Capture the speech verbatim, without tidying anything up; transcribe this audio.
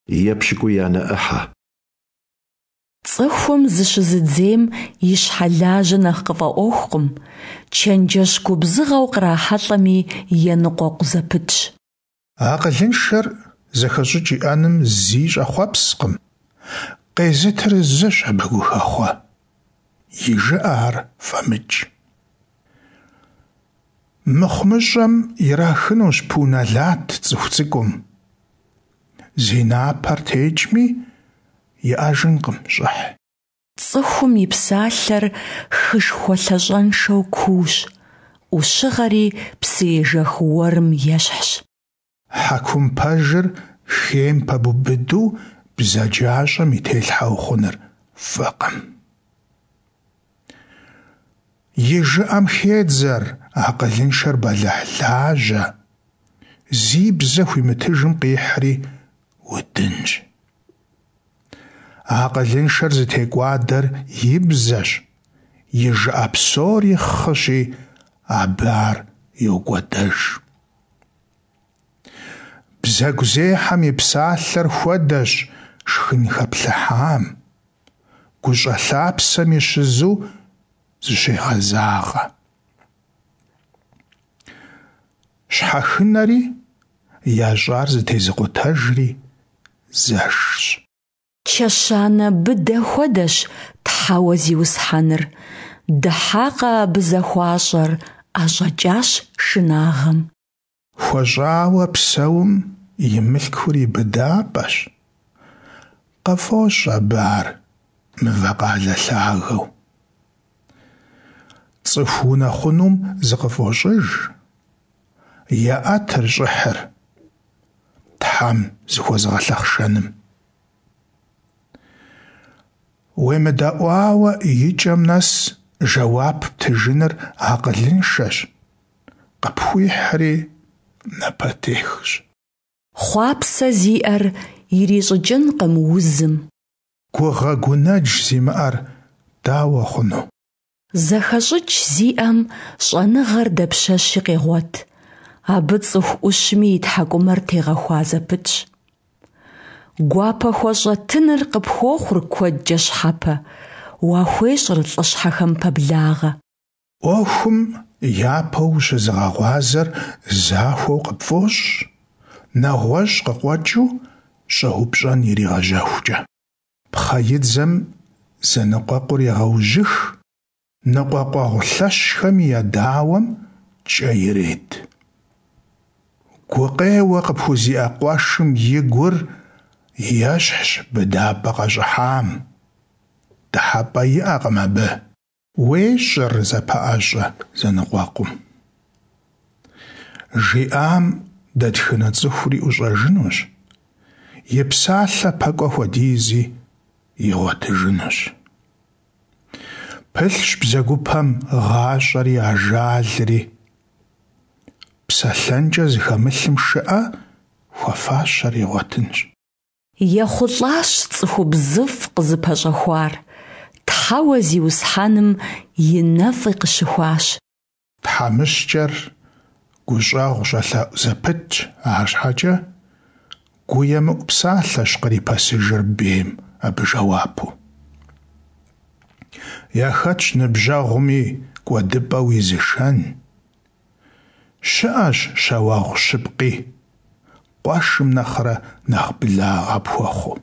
Епщыкӏуиянэ ӏыхьэ. Цӏыхум зыщызыдзейм и щхьэ лажьэ нэхъ къыфӏэӏуэхукъым, чэнджэщ губзыгъэу кърахьэлӏэми еныкъуэкъу зэпытщ. Акъылыншэр зэхэщӀыкӀ иӀэным зи щӀэхъуэпскъым, къезытыр зыщ абы гухэхъуэ - и жыӀэ ар фӀэмыкӀ. МыхъумыщӀэм ирахынущ пу нэлат цӀыху цӀыкӀум, зи напэр текӀми, иӀэжынкъым щӀыхь. Цӏыхум и псалъэр хышхуэ лъащӀэншэу куущ, Ӏущыгъэри псыежэх уэрым ещхьщ. Хьэкум пэжыр хейм пэбубыду бзаджащӀэм и телъхьэ ухъуныр фӀыкъым. И жыӀэм хедзэр акъылыншэр бэлыхьлажьэ, зи бзэ хуимытыжым къихьри удынщ. Акъылыншэр зытекӀуадэр и бзэщ, и жыӀэ псори хъыщи, абы ар йокӀуэдэж. Бзэгузехьэм и псалъэр хуэдэщ шхын хэплъыхьам, гущӀэ лъапсэми щызу зыщегъэзагъэ. Щхьэхынэри ящӀар зэтезыкъутэжри зэшщ. Чэщанэ быдэ хуэдэщ Тхьэуэ Зиусхьэныр; дыхьакъэ абы захуащӀэр, ӀэщӀэкӀащ шынагъэм. ХуэщӀауэ псэум и мылъкур и быдапӀэщ, къыфӀощӀ абы ар мывэкъалэ лъагэу. ЦӀыху унэхъунум зыкъыфӀощӀыж, еӀэтыр щӀыхьыр Тхьэм зыхуэзыгъэлъэхъшэным. УемыдэӀуауэ и кӀэм нэс жэуап птыжыныр акъылыншэщ, къыпхуихьри напэтехщ. Хъуапсэ зиӀэр ирищӀыкӀынкъым узым. Гугъэ гунэдж зимыӀэр дауэ хъуну? ЗэхэщӀыкӀ зиӀэм щӀэныгъэр дапщэщи къегъуэт, абы цӀыху Ӏущми и тхьэкӀумэр тегъэхуа зэпытщ. ГуапэхуэщӀэ тыныр къыпхуохъур куэдкӀэ щхьэпэ, уахуещӀыр лӀыщхьэхэм пэблагъэ. Ӏуэхум япэу ущызыгъэгъуазэр захуэу къыпфӀощӀ, нэгъуэщӀ къыкъуэкӀыу щӀэупщӀэн иригъэжьэхукӀэ. Пхъэидзэм зэныкъуэкъур егъэужьых, ныкъуэкъуэгъу лъэщхэми я дауэм кӀэ ирет. Гукъеуэ къыпхузиӀэ къуэшым и гур ещхьщ быдапӀэ къэщӀыхьам, дыхьэпӀэ иӀэкъым абы. УещӀыр зэпэӀэщӀэ зэныкъуэкъум. ЖиӀам дэтхэнэ цӀыхури ӀущӀэжынущ, и псалъэ пэкӀуэ хуэдизи игъуэтыжынущ. Пылъщ бзэгупэм гъащӀэри ажалри. ПсэлъэнкӀэ зыхэмылъым шыӀэ, хуэфащэр игъуэтынщ. ЕхъулӀащ цӀыхубзыфӀ къызыпэщӀэхуар, Тхьэуэ Зиусхьэным и нэфӀи къыщыхуащ. ТхьэмыщкӀэр гущӀэгъу щӀэлъэӀу зэпытщ, арщхьэкӀэ гуемыӀу псалъэщ кърипэсыжыр бейм абы жэуапу. Яхэтщ ныбжьэгъуми кӀуэдыпӀэ уизышэн. ЩыӀэщ щауэгъу щыпкъи, къуэшым нэхърэ нэхъ благъэ пхуэхъуу.